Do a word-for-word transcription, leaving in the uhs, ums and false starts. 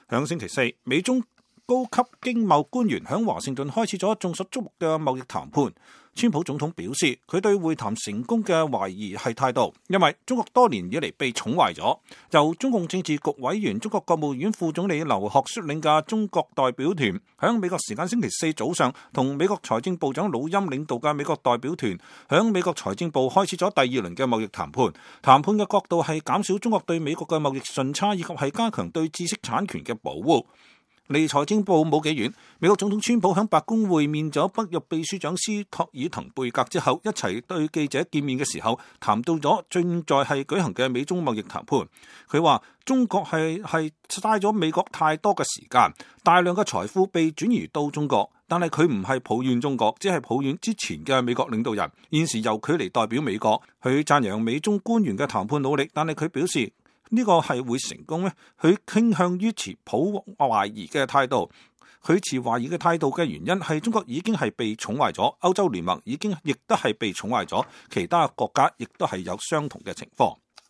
響星期四，美中高級經貿官員響華盛頓開始咗眾所矚目嘅貿易談判。川普總統表示，佢對會談成功嘅懷疑係態度，因為中國多年以嚟被寵壞咗。由中共政治局委員、中國國務院副總理劉鶴率領嘅中國代表團，響美國時間星期四早上，同美國財政部長魯欽領導嘅美國代表團，響美國財政部開始咗第二輪嘅貿易談判。談判嘅角度係減少中國對美國嘅貿易順差，以及係加強對知識產權嘅保護。離財政部冇幾遠，美國總統川普喺白宮會面咗北約秘書長斯托爾滕貝格之後，一齊對記者見面嘅時候，談到咗正在係舉行嘅美中貿易談判。佢話中國係係嘥咗美國太多嘅時間，大量嘅財富被轉移到中國，但係佢唔係抱怨中國，只係抱怨之前嘅美國領導人，現時由佢嚟代表美國。佢讚揚美中官員嘅談判努力，但係佢表示，呢個係會成功呢？佢傾向於持抱懷疑嘅態度。佢持懷疑嘅態度嘅原因係中國已經係被寵壞咗，歐洲聯盟已經亦都係被寵壞咗，其他國家亦都係有相同嘅情況。